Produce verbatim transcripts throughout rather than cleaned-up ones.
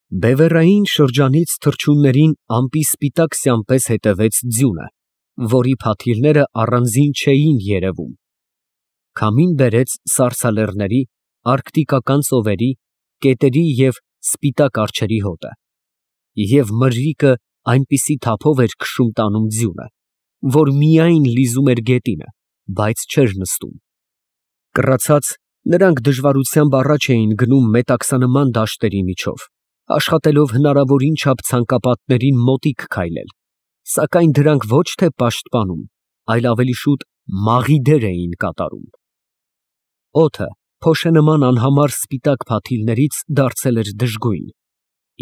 Բևեռային շրջանից թռչուններին ամպի սպիտակ սյան պես հետևեց ձյունը, որի փաթիլները առանձին չէին երևում. քամին բերեց սառցալեռների, արկտիկական ծովերի, կետերի և սպիտակ արջերի հոտը, և մրրիկը այնպիսի թափով էր քշում տանում ձյունը, որ միայն լիզում էր գետինը, բայց չէր նստում. կռացած, նրանք դժվարությամբ առաջ էին գնում մետաքսանման դաշտերի միջով, աշխատելով հնարավորին չափ ցանկապատներին մոտիկ քայլել, սակայն դրանք ոչ թե պաշտպանում, այլ ավելի շուտ մաղի դեր էին կատարում. օդը փոշենման անհամար սպիտակ փաթիլներից դարձել էր դժգույն,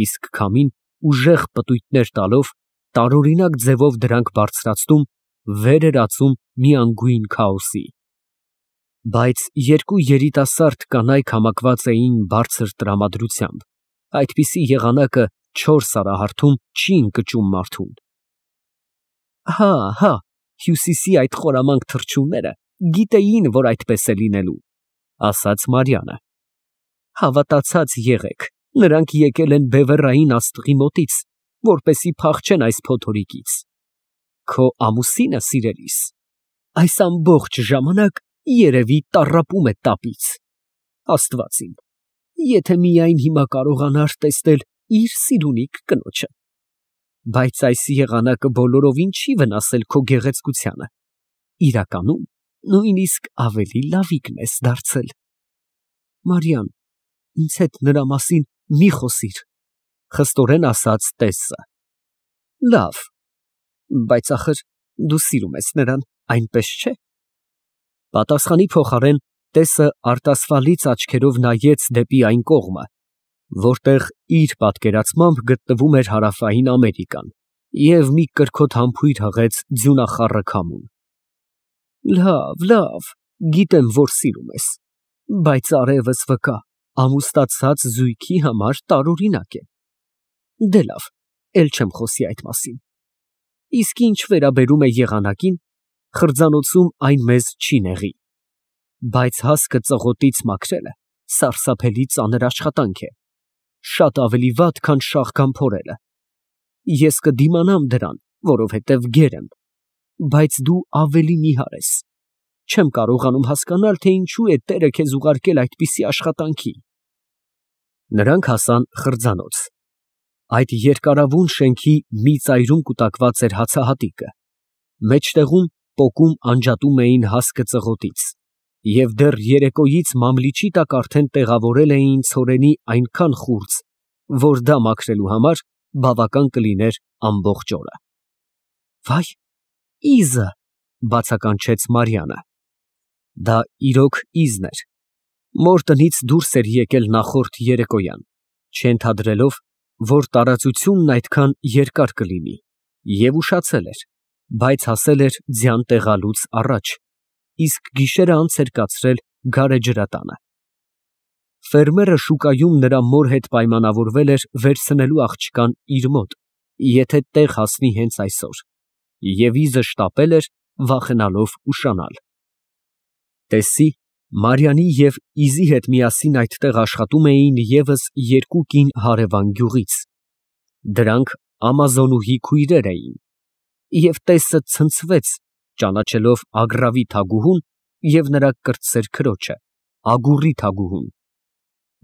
իսկ քամին ուժեղ պտույտներ տալով, տարօրինակ ձևով դրանք բարձրացնում, վեր էր ածում մի անգույն քաոսի. Բայց երկու երիտասարդ կանայք համակված էին բարձր տրամադրությամբ, այդպիսի եղանակը չոր սարահարթում չի ընկճում մարդուն։ Հա, հա, Հյուսիսի այդ խորամանկ թռչունները գիտեին, որ այդպես է լինելու, ասաց Մարիամը։ Հավատացած եղեք, նրանք եկել են բևեռային աստղի մոտից, որպեսզի փախչեն այս փոթորիկից։ Քո ամուսինը, սիրելիս, այս ամբողջ ժամանակ երևի տառապում է տապից։ Աստված իմ, եթե միայն հիմա կարողանար տեսնել իր սիրունիկ կնոջը։ Բայց այս եղանակը բոլորովին չի վնասել քո գեղեցկությանը, իրականում նույնիսկ ավելի լավիկն ես դարձել։ Մարիամ, ինձ հետ նրա մասին մի խոսիր, խստորեն ասաց տեսը։ Լավ, բայց ախր դու սիրում ես նրան, այնպես չէ։ Պատասխանի փոխարեն տեսը արտասվալից աչքերով նայեց դեպի այն կողմը, որտեղ իր պատկերացմամբ գտնվում էր Հարավային Ամերիկան, և մի կրքոտ համբույր հղեց ձյունախառը քամուն։ Լավ, լավ, գիտեմ, որ սիրում ես, բայց արևս վկա, ամուսնացած զույգի համար տարօրինակ է։ Դե լավ, էլ չեմ խոսի այդ մասին։ Իսկ ինչ վերաբերում է եղանակին, խրձանոցում այն մեզ չի նեղի, բայց հասկը ծղոտից մաքրելը սարսափելի ծանր աշխատանք է, շատ ավելի վատ, քան շաղկան փորելը։ Ես կդիմանամ դրան, որովհետև գեր եմ, բայց դու ավելի նիհար ես։ Չեմ կարողանում հասկանալ, թե ինչու է Տերը քեզ ուղարկել այդպիսի աշխատանքի։ Նրանք հասան խրձանոց։ Այդ երկարավուն շենքի մի ծայրում կուտակված էր հացահատիկը, մեջտեղում պոկում անջատում էին հասկը ծղոտից, և դեռ երեկոյից մամլիչի տակ արդեն տեղավորել էին ցորենի այնքան խուրձ, որ դա մաքրելու համար բավական կլիներ ամբողջ օրը։ Վայ, իզը, բացականչեց Մարիամը։ Դա իրոք իզն էր։ Մոր տնից դուրս էր եկել նախորդ երեկոյան, չենթադրելով, որ տարածությունն այդքան երկար կլինի, և ուշացել էր, բայց հասել էր ձյան տեղալուց առաջ, իսկ գիշերը անց էր կացրել գարեջրատանը։ Ֆերմերը շուկայում նրա մոր հետ պայմանավորվել էր վերցնելու աղջկան իր մոտ, եթե տեղ հասնի հենց այսօր, և իզը շտապել էր, վախենալով ուշանալ։ Տեսի, Մարիամի և իզի հետ միասին այդտեղ աշխատում էին ևս երկու կին հարևան գյուղից։ Դրանք ամազոնուհի քույրեր էին, և տեսը ցնցվեց, ճանաչելով Ագռավի թագուհուն և նրա կրտսեր քրոջը, Ագուռի թագուհուն,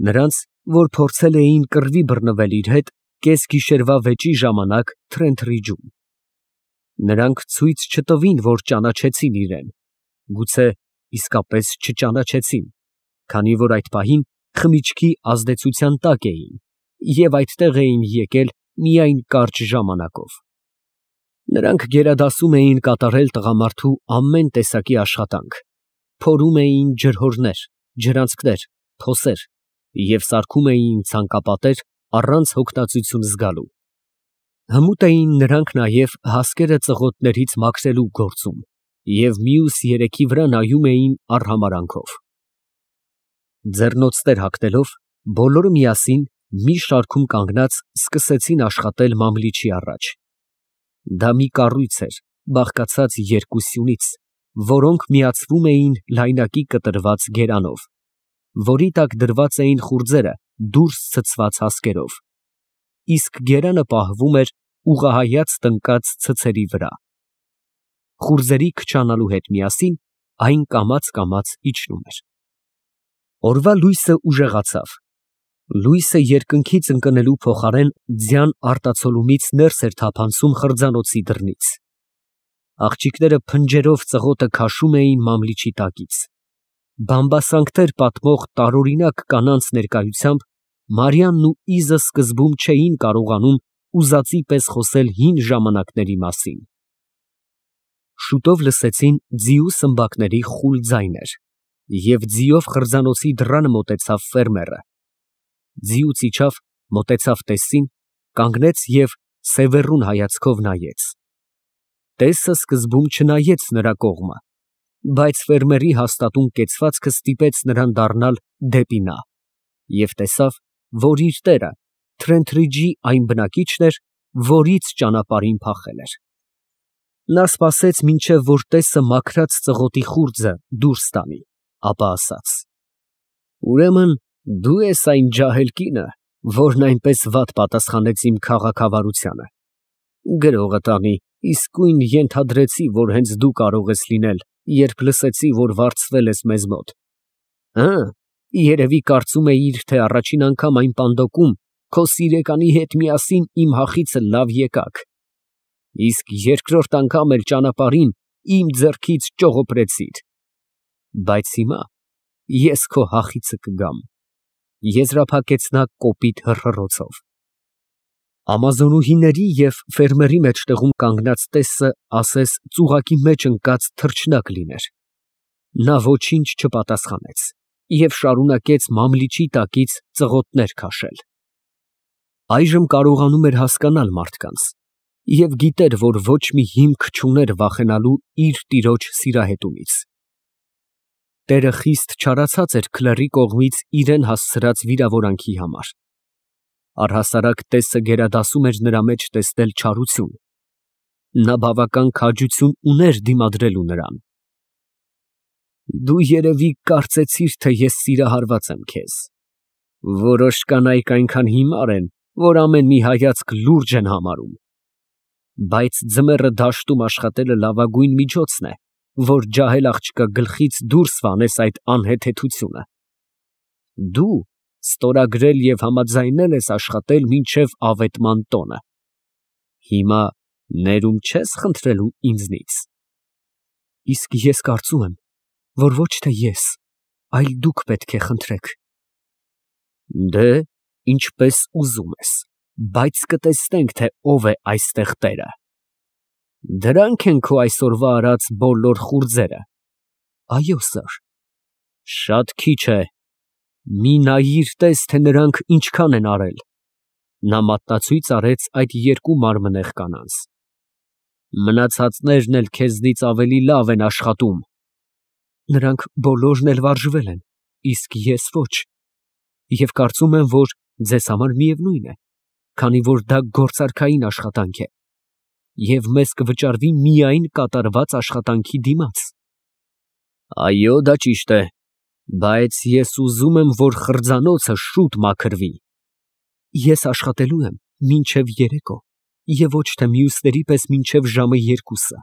նրանց, որ փորձել էին կռվի բռնվել իր հետ կեսգիշերվա վեճի ժամանակ Թրենթրիջում։ Նրանք ցույց չտվին, որ ճանաչեցին իրեն, գուցե իսկապես չճանաչեցին, քանի որ այդ պահին խմիչքի ազդեցության տակ էին և այդտեղ էին եկել միայն կարճ ժամանակով։ Նրանք գերադասում էին կատարել տղամարդու ամեն տեսակի աշխատանք, փորում էին ջրհորներ, ջրանցքներ, փոսեր և սարքում էին ցանկապատեր առանց հոգնածություն զգալու։ Հմուտ էին նրանք նաև հասկերը ծղոտներից մաքրելու գործում և մյուս երեքի վրա նայում էին արհամարհանքով։ Ձեռնոցներ հագնելով, բոլորը միասին մի շարքում կանգնած սկսեցին աշխատել մամլիչի առաջ։ Դա մի կառույց էր, բաղկացած երկու սյունից, որոնք միացվում էին լայնակի կտրված գերանով, որի տակ դրված էին խուրձերը դուրս ցցված հասկերով, իսկ գերանը պահվում էր ուղղահայաց տնկած ցցերի վրա։ Խուրձերի քչանալու հետ միասին այն կամաց֊կամաց իջնում էր։ Օրվա լույսը ուժեղացավ։ Լույսը երկնքից ընկնելու փոխարեն ձյան արտացոլումից ներս էր թափանցում խրձանոցի դռնից։ Աղջիկները փնջերով ծղոտը քաշում էին մամլիչի տակից։ Բամբասանքներ պատմող տարօրինակ կանանց ներկայությամբ Մարիամն ու Իզը սկզբում չէին կարողանում ուզածի պես խոսել հին ժամանակների մասին։ Շուտով լսեցին ձիու սմբակների խուլ ձայներ, և ձիով խրձանոցի դռանը մոտեցավ ֆերմերը։ Ձիուց իջավ, մոտեցավ տեսին, կանգնեց և սևեռուն հայացքով նայեց։ Տեսը սկզբում չնայեց նրա կողմը, բայց ֆերմերի հաստատուն կեցվածքը ստիպեց նրան դառնալ դեպի նա, և տեսավ, որ իր տերը Թրենթրիջի այն բնակիչն էր, որից ճանապարհին փախել էր։ Նա սպասեց, մինչև որ տեսը մաքրած ծղոտի խուրձը դուրս տանի, ապա ասաց. «Ուրեմն դու ես այն ջահել կինը, որն այնպես վատ պատասխանեց իմ քաղաքավարությանը։ Գրողը տանի, իսկույն ենթադրեցի, որ հենց դու կարող ես լինել, երբ լսեցի, որ վարձվել ես մեզ մոտ։ Հը, երևի կարծում էիր, թե առաջին անգամ այն պանդոկում քո սիրեկանի հետ միասին իմ հախիցը լավ եկաք, իսկ երկրորդ անգամ էլ ճանապարհին իմ ձեռքից ճողոպրեցիր։ Բայց հիմա ես քո հախիցը կգամ», եզրափակեց նա կոպիտ հռհռոցով։ Ամազոնուհիների և ֆերմերի մեջտեղում կանգնած տեսը ասես ծուղակի մեջ ընկած թռչնակ լիներ։ Նա ոչինչ չպատասխանեց և շարունակեց մամլիչի տակից ծղոտներ քաշել։ Այժմ կարողանում էր հասկանալ մարդկանց և գիտեր, որ ոչ մի հիմք չուներ վախենալու իր տիրոջ սիրահետումից։ Տերը խիստ չարացած էր քլեռի կողմից իրան հասցրած վիրավորանքի համար։ Առհասարակ տեսը գերադասում էր նրա մեջ տեսնել չարություն։ Նա բավական քաջություն ուներ դիմադրելու նրան։ Դու երևի կարծեցիր, թե ես սիրահարված եմ քեզ։ Որոշ կանայք այնքան հիմար են, որ ամեն մի հայացք լուրջ են համարում։ Բայց ձմեռը դաշտում աշխատելը լավագույն միջոցն է, որ ջահել աղջկա գլխից դուրս վանես այդ անհեթեթությունը։ Դու ստորագրել և համաձայնել ես աշխատել մինչև ավետման տոնը։ Հիմա ներում չես խնդրելու ինձնից։ Իսկ ես կարծում եմ, որ ոչ թե ես, այլ դուք պետք է խնդրեք։ Դե, ինչպես ուզում ես, բայց կտեսնենք, թե ով է այստեղ տերը։ Դրանք են քո այսօրվա արած բոլոր խուրձերը։ Այո, սըր։ Շատ քիչ է։ Մի նայիր, տես, թե նրանք ինչքան են արել։ Նա մատնացույց արեց այդ երկու մարմնեղ կանանց։ Մնացածներն էլ քեզնից ավելի լավ են աշխատում։ Նրանք բոլորն էլ վարժվել են, իսկ ես ոչ, և կարծում եմ, որ ձեզ համար միևնույն է, քանի որ դա գործարքային աշխատանք է, և մեզ կվճարվի միայն կատարված աշխատանքի դիմաց։ Այո, դա ճիշտ է, բայց ես ուզում եմ, որ խրձանոցը շուտ մաքրվի։ Ես աշխատելու եմ մինչև երեկո և ոչ թե մյուսների պես մինչև ժամը երկուսը։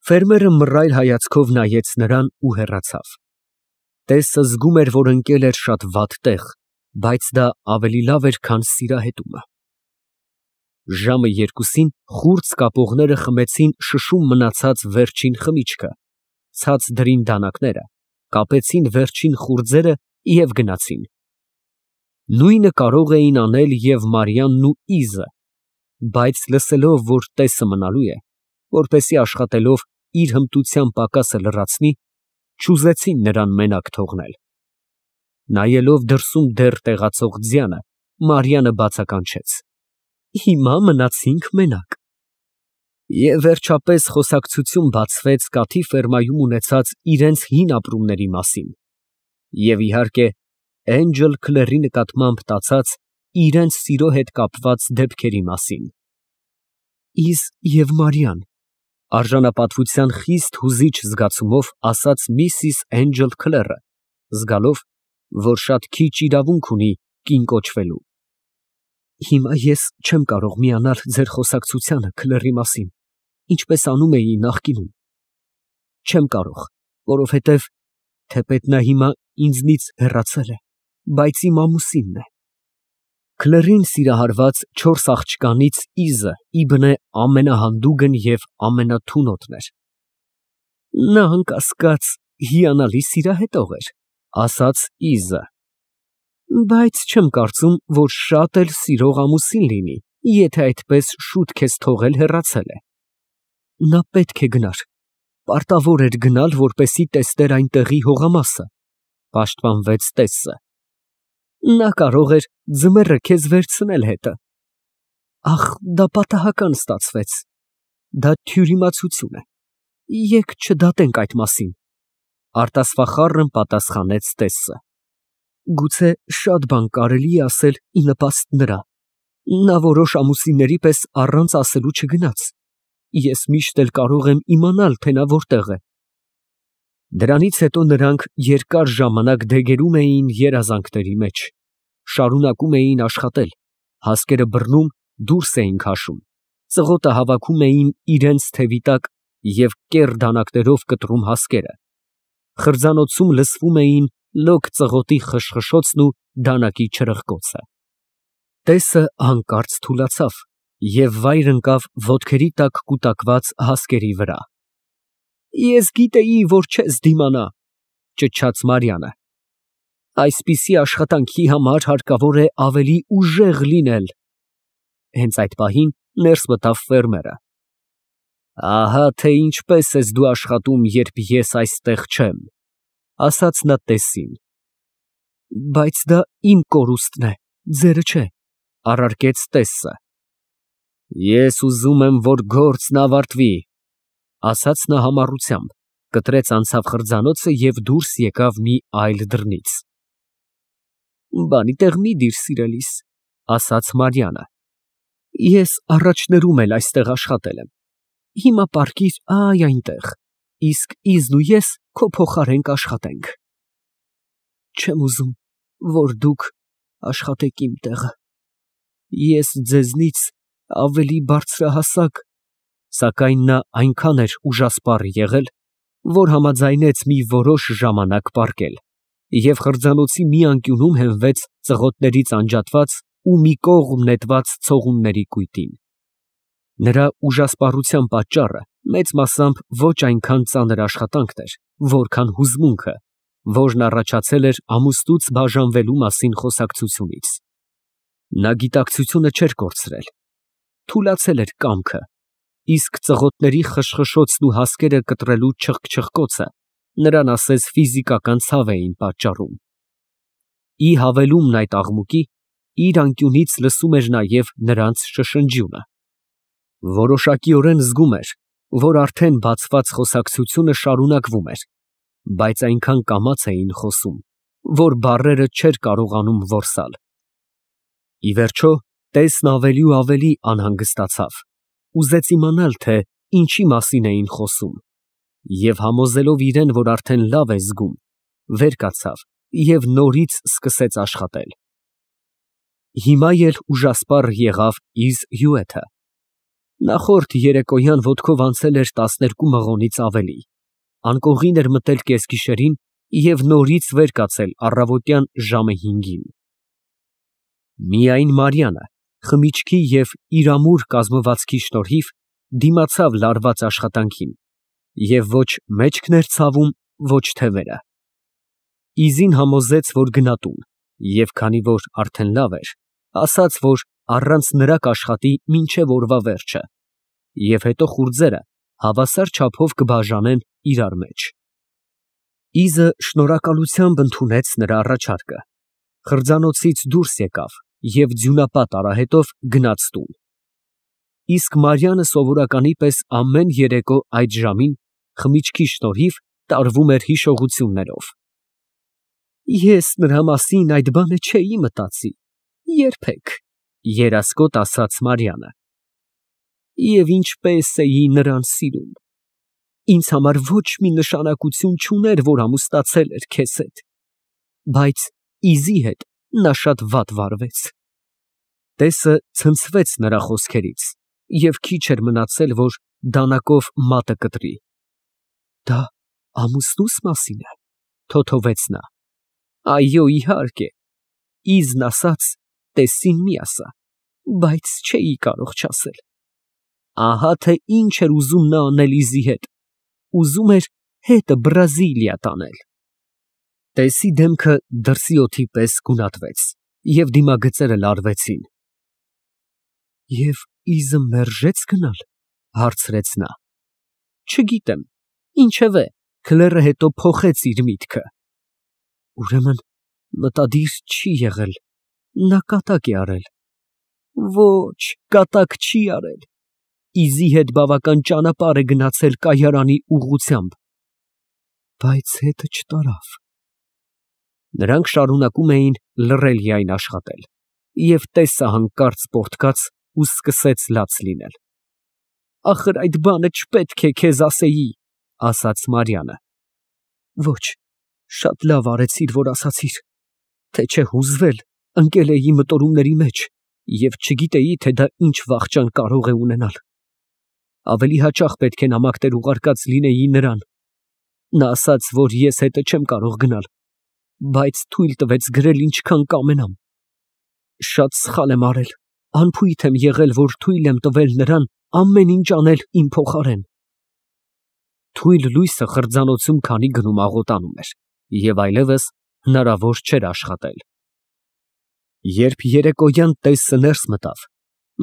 Ֆերմերը մռայլ հայացքով նայեց նրան ու հեռացավ։ Տեսը զգում էր, որ ընկել էր շատ վատ տեղ, բայց դա ավելի լավ էր, քան սիրահետումը։ Ժամը երկուսին խուրձ կապողները խմեցին շշում մնացած վերջին խմիչքը, ցած դրին դանակները, կապեցին վերջին խուրձերը և գնացին։ Նույնը կարող էին անել և Մարիամն ու Իզը, բայց լսելով, որ տեսը մնալու է, որպեսզի աշխատելով իր հմտության պակասը լրացնի, չուզեցին նրան մենակ թողնել։ Նայելով դրսում դեռ տեղացող ձյանը, Մարիամը բացականչեց. Հիմա մնացինք մենակ։ Եվ վերջապես խոսակցություն բացվեց կաթի ֆերմայում ունեցած իրենց հին ապրումների մասին և, իհարկե, Էնջել Քլերի նկատմամբ տածած իրենց սիրո հետ կապված դեպքերի մասին։ Իզ և Մարիամ, արժանապատվության խիստ հուզիչ զգացումով ասաց միսիս Էնջել Քլերը, զգալով, որ շատ քիչ իրավունք ունի կին կոչվելու։ Հիմա ես չեմ կարող միանալ ձեր խոսակցությանը Քլերի մասին, ինչպես անում էի նախկինում։ Չեմ կարող, որովհետև թեպետ նա հիմա ինձնից հեռացել է, բայց իմ ամուսինն է։ Քլերին սիրահարված չորս աղջկանից Իզը իբնե ամենահանդուգն և ամենաթունոտն էր։ Նա անկասկած հիանալի սիրահետող էր, ասաց Իզը, բայց չեմ կարծում, որ շատ էլ սիրող ամուսին լինի, եթե այդպես շուտ քեզ թողել հեռացել է։ Նա պետք է գնար, պարտավոր էր գնալ, որպեսզի տեսներ այն տեղի հողամասը, պաշտպանվեց տեսը։ Նա կարող էր ձմեռը քեզ վերցնել հետը։ Ախ, դա պատահական ստացվեց, դա թյուրիմացություն է, եկ չդատենք այդ մասին, արտասվախառն պատասխանեց տեսը։ Գուցե շատ բան կարելի է ասել ի նպաստ նրա, նա որոշ ամուսինների պես առանց ասելու չգնաց, ես միշտ էլ կարող եմ իմանալ, թե նա որտեղ է։ Դրանից հետո նրանք երկար ժամանակ դեգերում էին երազանքների մեջ, շարունակում էին աշխատել, հասկերը բռնում, դուրս էին քաշում, ծղոտը հավաքում էին իրենց թևի տակ և կեռ դանակներով կտրում հասկերը, խրձանոցում լսվում էին լոկ ծղոտի խշխշոցն ու դանակի չրղկոցը։ Տեսը հանկարծ թուլացավ և վայր ընկավ ոտքերի տակ կուտակված հասկերի վրա։ Ես գիտեի, որ չես դիմանա, ճչաց Մարիամը։ Այսպիսի աշխատանքի համար հարկավոր է ավելի ուժեղ լինել։ Հենց այդ պահին ներս մտավ ֆերմերը։ Ահա թե ինչպես ես դու աշխատում, երբ ես այստեղ չեմ, ասաց նա տեսին։ Բայց դա իմ կորուստն է, ձերը չէ, առարկեց տեսը։ Ես ուզում եմ, որ գործն ավարտվի, ասաց նա համառությամբ, կտրեց անցավ խրձանոցը և դուրս եկավ մի այլ դռնից։ Բանի տեղ մի դիր, սիրելիս, ասաց Մարիամը։ Ես առաջներում էլ այստեղ աշխատել եմ, հիմա պառկիր այ այնտեղ, իսկ Իզն ու ես քո փոխարեն կաշխատենք։ Չեմ ուզում, որ դուք աշխատեք իմ տեղը, ես ձեզնից ավելի բարձրահասակ, սակայն նա այնքան էր ուժասպառ եղել, որ համաձայնեց մի որոշ ժամանակ պառկել և խրձանոցի մի անկյունում հենվեց ծղոտներից անջատված ու մի կողմ նետված ցողունների կույտին։ Նրա ուժասպառության պատճառը մեծ մասամբ ոչ այնքան ծանր աշխատանքն էր, որքան հուզմունքը, որն առաջացել էր ամուսնուց բաժանվելու մասին խոսակցությունից։ Նա գիտակցությունը չէր կորցրել, թուլացել էր կամքը, իսկ ծղոտների խշխշոցն ու հասկերը կտրելու չխկչխկոցը նրան ասես ֆիզիկական ցավ էին պատճառում։ Ի հավելումն այդ աղմուկի, իր անկյունից լսում էր նաև նրանց շշնջյունը։ Որոշակիորեն զգում էր, որ արդեն բացված խոսակցությունը շարունակվում էր, բայց այնքան կամաց էին խոսում, որ բառերը չէր կարողանում որսալ։ Ի վերջո, տեսն ավելի ու ավելի անհանգստացավ, ուզեց իմանալ, թե ինչի մասին էին խոսում, և համոզելով իրեն, որ արդեն լավ է զգում, վեր կացավ և նորից սկսեց աշխատել։ Հիմա էլ ուժասպառ եղավ Իզ հյութը։ Նախորդ երեկոյան ոտքով անցել էր տասներկու մղոնից ավելի, անկողին էր մտել կեսգիշերին և նորից վեր կացել առավոտյան ժամը հինգին։ Միայն Մարիամը խմիչքի և իր ամուր կազմվածքի շնորհիվ դիմացավ լարված աշխատանքին և ոչ մեջքն էր ցավում, ոչ թե վերը։ Իզին համոզեց, որ գնա տուն, և քանի որ արդեն լավ էր, ասաց, որ առանց նրա կաշխատի մինչև օրվա վերջը, և հետո խուրձերը հավասար չափով կբաժանեն իրար մեջ։ Իզը շնորհակալությամբ ընդունեց նրա առաջարկը, խրձանոցից դուրս եկավ և ձյունապատ արահետով գնաց տուն։ Իսկ Մարիամը սովորականի պես ամեն երեկո այդ ժամին խմիչքի շնորհիվ տարվում էր հիշողություններով։ Ես նրա մասին այդ բանը չէի մտածի, երբեք, երասկոտ ասաց Մարիամը։ Եվ ինչպես էի նրան սիրում, ինձ համար ոչ մի նշանակություն չուներ, որ ամուսնացել էր քեզ հետ, բայց Իզի հետ նա շատ վատ վարվեց։ Տեսը ցնցվեց նրա խոսքերից, և քիչ էր մնացել, որ դանակով մատը կտրի։ Դա ամուսնուս մասին է, թոթովեց նա։ Այո, իհարկե, իզն ասաց, տեսին մի ասա, բայց չէի կարող չասել։ Ահա թե ինչ էր ուզում նա անել Լիզի հետ, ուզում էր հետը Բրազիլիա տանել։ Տեսի դեմքը դրսի օդի պես գունատվեց, և դիմագծերը լարվեցին։ Եվ իզը մերժե՞ց գնալ, հարցրեց նա։ Չգիտեմ, ինչևէ, քլերը հետո փոխեց իր միտքը։ Ուրեմն մտադիր չի եղել, նա կատակ է արել։ Ոչ, կատակ չի արել, իզի հետ բավական ճանապարհ է գնացել կայարանի ուղղությամբ։ Բայց հետը չտարավ։ Նրանք շարունակում էին լռելիայն աշխատել, և տեսը հանկարծ պոռթկաց ու սկսեց լաց լինել։ Ախր այդ բանը չպետք է քեզ ասեի, ասաց Մարիամը։ Ոչ, շատ լավ արեցիր, որ ասացիր, թե չէ հուզվել, ընկել էի մտորումների մեջ և չգիտեի, թե դա ինչ վախճան կարող է ունենալ։ Ավելի հաճախ պետք է նամակներ ուղարկած լինեի նրան։ Նա ասաց, որ ես հետը չեմ կարող գնալ, բայց թույլ տվեց գրել ինչքան կամենամ։ Շատ սխալ եմ արել, անփույթ եմ եղել, որ թույլ եմ տվել նրան ամեն ինչ անել իմ փոխարեն։ Թույլ լույսը խրձանոցում քանի գնում աղոտանում էր, և այլևս հնարավոր չէր աշխատել։ Երբ երեկոյան տեսը ներս մտավ,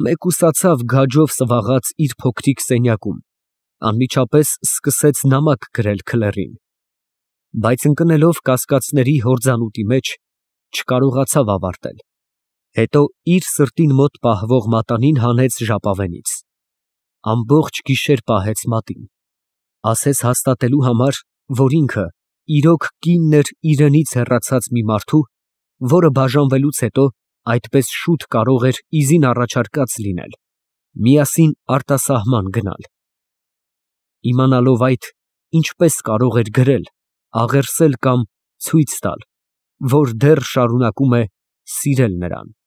մեկուսացավ գաջով սվաղած իր փոքրիկ սենյակում, անմիջապես սկսեց նամակ գրել քլերին, բայց ընկնելով կասկածների հորձանուտի մեջ, չկարողացավ ավարտել, հետո իր սրտին մոտ պահվող մատանին հանեց ժապավենից, ամբողջ գիշեր պահեց մատին, ասես հաստատելու համար, որ ինքը իրոք կինն էր իրենից հեռացած մի մարդու, որը բաժանվելուց հետո այդպես շուտ կարող էր իզին առաջարկած լինել, միասին արտասահման գնալ։ Իմանալով այդ, ինչպես կարող էր գրել, աղերսել կամ ցույց տալ, որ դեռ շարունակում է սիրել նրան։